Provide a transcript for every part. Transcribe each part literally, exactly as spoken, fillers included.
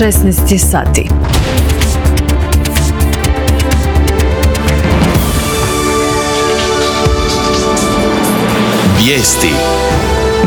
šesnaest je sati. Vijesti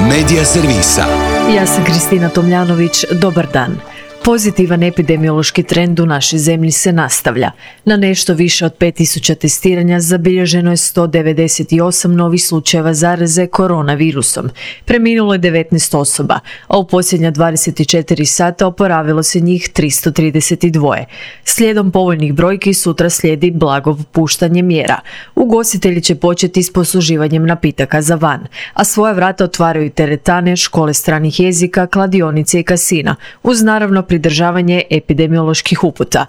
Medija servisa. Ja sam Kristina Tomljanović, dobar dan. Pozitivan epidemiološki trend u našoj zemlji se nastavlja. Na nešto više od pet tisuća testiranja zabilježeno je sto devedeset osam novih slučajeva zaraze koronavirusom. Preminulo je devetnaest osoba, a u posljednja dvadeset četiri sata oporavilo se njih tristo trideset dva. Slijedom povoljnih brojki sutra slijedi blago popuštanje mjera. Ugostitelji će početi s posluživanjem napitaka za van, a svoja vrata otvaraju i teretane, škole stranih jezika, kladionice i kasina, uz naravno pridržavanje epidemioloških uputa.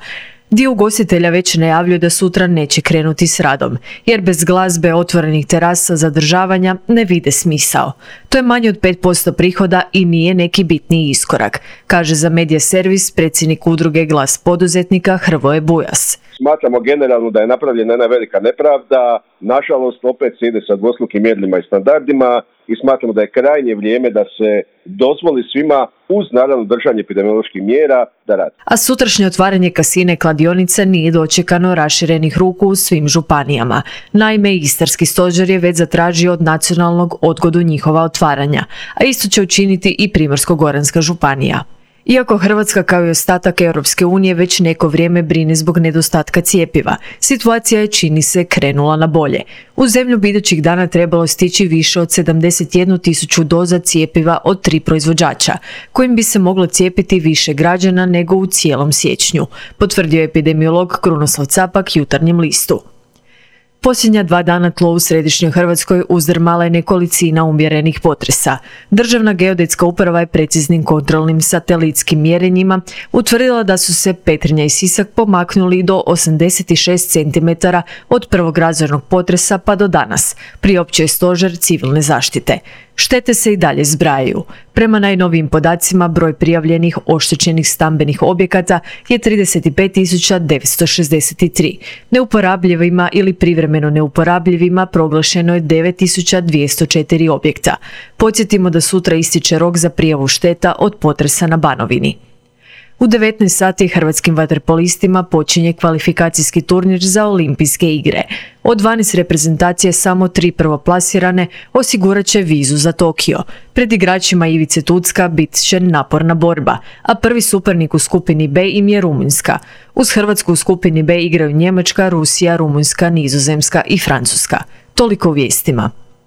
Dio ugostitelja već najavljuje da sutra neće krenuti s radom, jer bez glazbe, otvorenih terasa, zadržavanja ne vide smisao. To je manje od pet posto prihoda i nije neki bitniji iskorak, kaže za Medija servis predsjednik udruge Glas poduzetnika Hrvoje Bujas. Smatramo generalno da je napravljena jedna velika nepravda, nažalost opet se ide sa dvostrukim mjerilima i standardima i smatramo da je krajnje vrijeme da se dozvoli svima, uz naravno držanje epidemioloških mjera, da radi. A sutrašnje otvaranje kasine kladionica nije dočekano raširenih ruku u svim županijama. Naime, Istarski stožer je već zatražio od nacionalnog odgodu njihova otvaranja, a isto će učiniti i Primorsko-goranska županija. Iako Hrvatska kao i ostatak Europske unije već neko vrijeme brine zbog nedostatka cjepiva, situacija je, čini se, krenula na bolje. U zemlju bi idućih dana trebalo stići više od sedamdeset jednu tisuću doza cjepiva od tri proizvođača, kojim bi se moglo cijepiti više građana nego u cijelom siječnju, potvrdio je epidemiolog Krunoslav Capak Jutarnjem listu. Posljednja dva dana tlo u središnjoj Hrvatskoj uzdrmala je nekolicina umjerenih potresa. Državna geodetska uprava je preciznim kontrolnim satelitskim mjerenjima utvrdila da su se Petrinja i Sisak pomaknuli do osamdeset šest centimetara od prvog razornog potresa pa do danas, priopćio je Stožer civilne zaštite. Štete se i dalje zbrajaju. Prema najnovijim podacima, broj prijavljenih oštećenih stambenih objekata je trideset pet tisuća devetsto šezdeset tri. Neuporabljivima ili privremeno neuporabljivima proglašeno je devet tisuća dvjesto četiri objekta. Podsjetimo da sutra ističe rok za prijavu šteta od potresa na Banovini. U devetnaest sati hrvatskim vaterpolistima počinje kvalifikacijski turnir za olimpijske igre. Od dvanaest reprezentacije samo tri prvoplasirane osigurat će vizu za Tokio. Pred igračima Ivice Tucka bit će naporna borba, a prvi suparnik u skupini B im je Rumunjska. Uz Hrvatsku u skupini B igraju Njemačka, Rusija, Rumunjska, Nizozemska i Francuska. Toliko u vijestima.